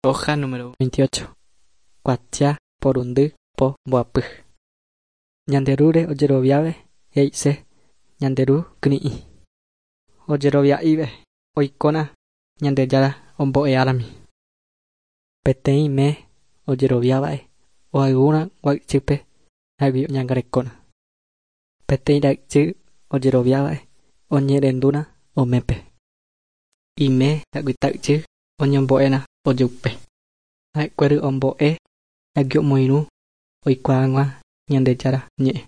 Hoja número 28. Kuatia porundy po mboapy. Ñande Rúre ojeroviave he'ise Ñande Ru kyri'ĩ. Ojerovia'ive oikóna Ñandejára ombo'eárami. Peteĩme ojeroviáva'e ohayhúrã gua'ychýpe ha'égui oñangarekóna. Peteĩ ra'ychy ojeroviáva'e oñe'ẽrendúrã omépe. Ime ha'egui oñombo'éna ojupe. Ha'ekuéra ombo'e ha'égui omoirũ oikuaa hag̃ua Ñandejára ñe'ẽ.